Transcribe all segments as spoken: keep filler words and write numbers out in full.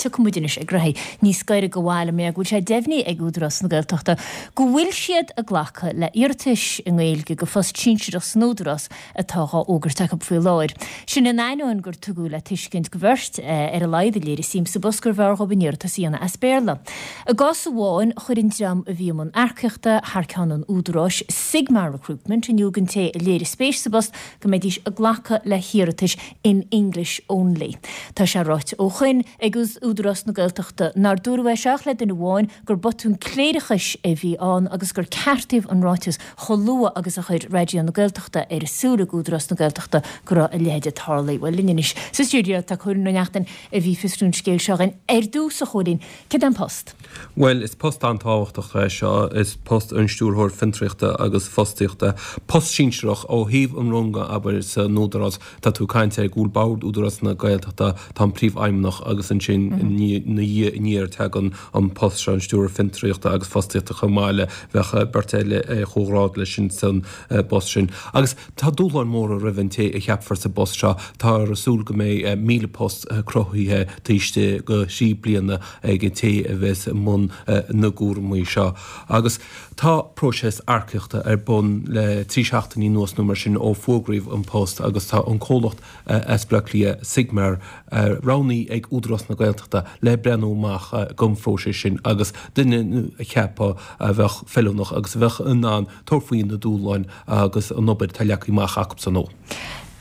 Tiocfaidh muid anois ag raghaidh níos gaire do bhaile mé go bhfuil sé deimhnithe ag Údarás na Gaeltachta go bhfuil siad ag glacadh le hiarratais i nGaeilge go phost sinsearach san Údarás atá á fhógairt acu faoi láthair. Sin in ainneoin gur tugadh le tuiscint go bheirt ar a laghad a léirigh suim sa bpost gurbh fhearr dhóibh an iarratas a dhéanamh as Béarla. I gcás amháin chuir an dream a bhí i mbun earcaíochta thar ceann an Údaráis Sigmar Recruitment in iúl don té a léirigh spéis sa bpost go mbeidís ag glacadh le hiarratais in English only. Tá sé ráite ó shoin ag Údarás na Gaeltachta nár dúradh é seo ach le duine amháin gur botún cléireachais a bhí ann agus gur ceartaíodh an ráiteas chomh luath agus a chuir Raidió na Gaeltachta ar a súil ag Údarás na Gaeltachta go raibh a leithéid ag tarlú. Bhuel linn anois sa stiúideo tá Cóilín Ó Neachtain a bhí ag fiosrú an scéil seo againn ar dtús a Chóilín, céard é an post? Bhuel is post an-tábhachtach é seo is post an stiúrthóir fiontraíochta agus fostaíochta. Post sinsearach ó thaobh an ranga abair san Údarás tá tú ag caint ar go bhfuil bord Údarás na Gaeltachta tá an príomhfheidhmeannach agus ansin ina dhiaidh aniar tagann an post seo an stiúrthóir fiontraíochta agus fostaíochta chomh maith le bheadh beirt eile comhghrád leis sin san bpost sin. Agus tá dúshláin mhóra roimh an té a cheapfar sa bpost seo tá súil go mbeidh míle post cruthaithe taobh istigh de thrí bliana ag an té a bheas i mbun na gcúraimí seo. Agus tá próiseas earcaíochta ar bun le trí seachtainí anuas nó mar sin ó fógraíodh an post agus tá an comhlacht as Baile Átha Cliath Sigmar roghnaithe ag Údarás na Gaeltachta le breathnú amach don phróiseas sin agus duine a cheapadh a bheadh feiliúnach agus a bheadh in ann tabhairt faoi na dúshláin agus an obair atá leagtha amach acu san ó.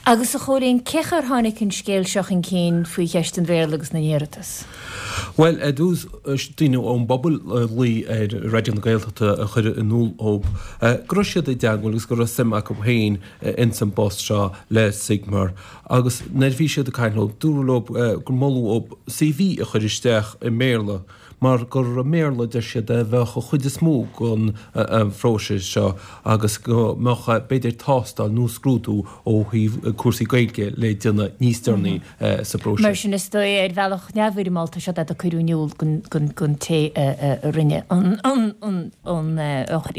Agus a Chóilín cén chaoi ar tháinig an scéal seo chun cinn faoi cheist an Bhéarla agus na n-iarratas. Well ar dtús daoine ón bpobal a ghlaoigh ar Raidió na Gaeltachta a chuir in iúl dóibh go raibh siad i dteagmháil agus go raibh suim acu féin ins an bpost seo le Sigmar agus nuair a bhí siad ag caint leo dúradh leo gur moladh dóibh CV a chur isteach i mBéarla mar gur i mBéarla deir siad a bheadh an chuid is mó den phróiseas seo agus go mbeadh b'fhéidir tástáil nó scrúdú ó thaobh cúrsaí Gaeilge le déanamh níos deireanaí sa bpróiseas. Mar sin is dóigh ar bhealach neamhfhoirmeálta seo a cuireadh in iúl don té a rinne an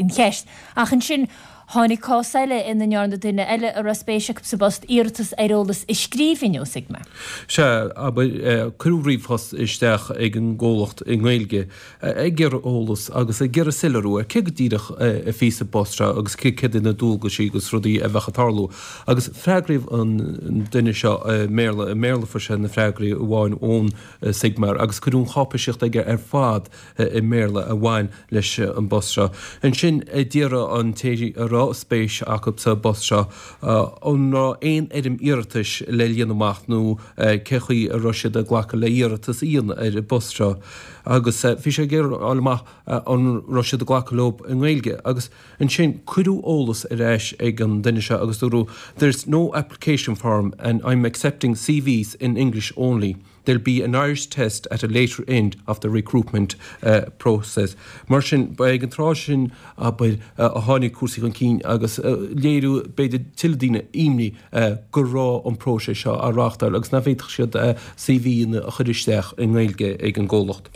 cheist. Ach ansin tháinig cás eile ina ndearna duine eile a raibh spéis acu sa bpost iarratas ar eolas i scríbhinn ó Sigmar. Sea abair cuireadh ríomhphost isteach ag an gcomhlacht i nGaeilge ag iarraidh eolas agus ag iarraidh soiléiriú ar cé go díreach a bhí sa bpost seo agus cé céard na dualgaisí agus rudaí a bheadh ag tarlú. Agus freagraíodh an duine seo i mBéarla i mBéarla fuair sé na freagraí amháin ón Sigmar agus cuireadh an cháipéisíocht aige ar fad i mBéarla a bhain leis an bpost seo. Ansin d'iarr an té a raibh spéis acu sa bpost seo an raibh aon fhoirm iarratais le líonadh amach nó cé chaoi a raibh siad ag glacadh le hiarratas a dhéanamh ar an bpost seo. agus bhí sé ag iarraidh fháil amach an raibh siad ag glacadh leo i nGaeilge agus ansin cuireadh eolas ar ais ag an duine seo agus dúradh there's no application form and I'm accepting CVs in English only. There'll be an Irish test at a later end of the recruitment uh, process. Mar sin ba ag an tráth sin abair uh, a tháinig cúrsaí chun cinn agus uh, léiriú b'fhéidir tuilleadh daoine imní uh, go raibh an próiseas seo á reáchtáil agus nach bhféadfadh siad uh, CV a chur isteach i nGaeilge ag an gcomhlacht.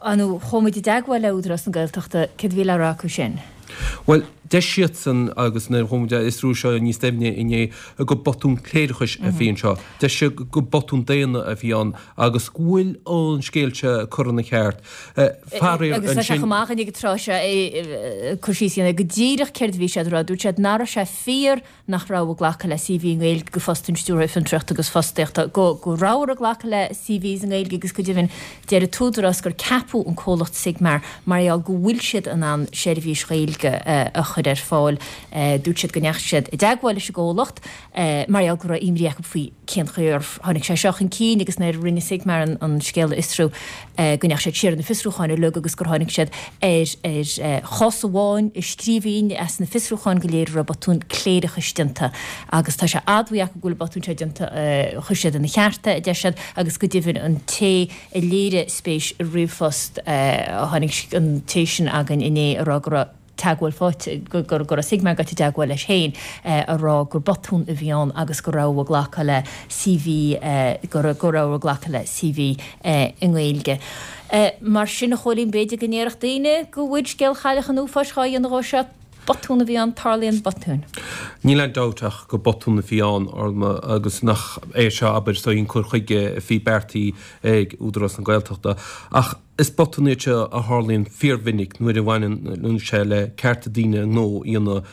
Anú chuaigh muid i dteagmháil le Údarás na Gaeltachta céard a bhí le rá acu sin. Well, deir siadsan agus nuair a chuaigh muid ag fiosrú seo níos doimhne inné go botún cléireachais a bhí anseo. Deir siad go botún daonna a bhí ann agus go bhfuil an scéal seo curtha ina cheart. Faraor Agus tá sé chomh maith ag an tráth seo cur síos go díreach céard a bhí siad rá dúirt siad nach raibh sé fíor nach raibh ag glacadh le CV i nGaeilge go phost an stiúrthóir fiontraíochta agus fostaíochta go go raibh ag glacadh le CVs i nGaeilge agus go deimhin deir an tÚdarás gur ceapadh an comhlacht Sigmar mar gheall go bhfuil siad in ann seirbhís Ghaeilge a chur ar fáil dúirt siad go ndeachaigh siad i dteagmháil leis an gcomhlacht mar gheall go raibh imní acu faoi cén chaoi ar tháinig sé seo chun cinn agus nuair a rinne Sigmar an, an scéal a fhiosrú go ndeachaigh siad siar na fiosrúcháin uilig agus gur tháinig siad ar ar chás amháin i scríbhinn as na fiosrúcháin go léir raibh botún cléireachais déanta agus tá sé admhaithe acu go bhfuil botún seo déanta chuir siad ina cheart é deir siad agus go deimhin an té a léirigh spéis i ríomhphost a tháinig an té sin againn inné a rá go raibh teagmháil faighte go go raibh Sigmar gaibhte i dteagmháil leis féin a rá gur botún a bhí ann agus go raibh ag glacadh le CV go go raibh ag glacadh le CV i nGaeilge. Mar sin a Chóilín b'fhéidir go ndéarfadh daoine go bhfuil scéal Chailleach an Uafáis dhá dhéanamh ó seo Botún a bhí ann, tarlaíonn botúin. Níl aon dabht ach gur botún a bhí ann, Orma, agus nach é seo, abair, is dóigh, an cur chuige a bhí beartaithe ag Údarás na Gaeltachta. Ach is botún iad seo a tharlaíonn fíormhinic nuair a bhaineann sé le cearta daoine a ngnó a dhéanamh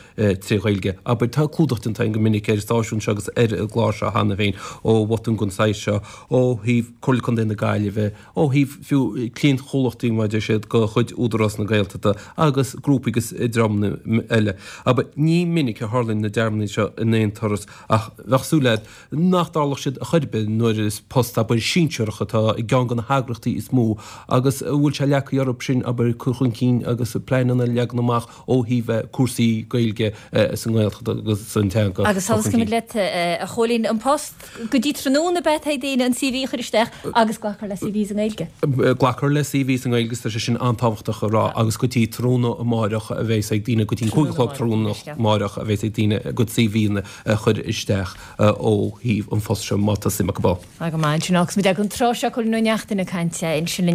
tré Ghaeilge. Abair, tá clúdach déanta againn go minic ar an stáisiún seo agus ar an gclár seo cheana féin ó bhotúin den saghas seo ó thaobh Comhairle Contae na Gaillimhe, ó thaobh fiú cliantchomhlachtaí mar a deir siad de chuid Údarás na Gaeltachta agus grúpaí agus dreamanna eile. Abair, ní minic a tharlaíonn na dearmadaí seo in aon turas ach bheadh súil agat nach dtarlódh siad ar chor ar bith nuair is post, abair, sinsearach atá i gceann de na heagraíochtaí is mó agus a bhfuil sé leagtha orthu sin, abair, cur chun cinn agus pleananna a leagan amach ó thaobh cúrsaí Gaeilge sa nGaeltacht agus an teanga a chur Agus chun sula scaoilfimid cinn. leat, a Chóilín, an post go dtí tráthnóna ab ea atá ag daoine an CV a chur isteach agus glacfar le CVs i nGaeilge. Glacfar le CVs i nGaeilge, tá sé sin an-tábhachtach a rá, agus go dtí tráthnóna amáireach a bheas ag daoine, go dtí an cúig a chlog tráthnóna amáireach a bheas ag daoine a gcuid CVanna a chur isteach ó thaobh an phost seo má tá suim acu ann. Tá go maith ansin agus muid ag an tráth seo Cóilín Ó Neachtain ag caint ansin linn.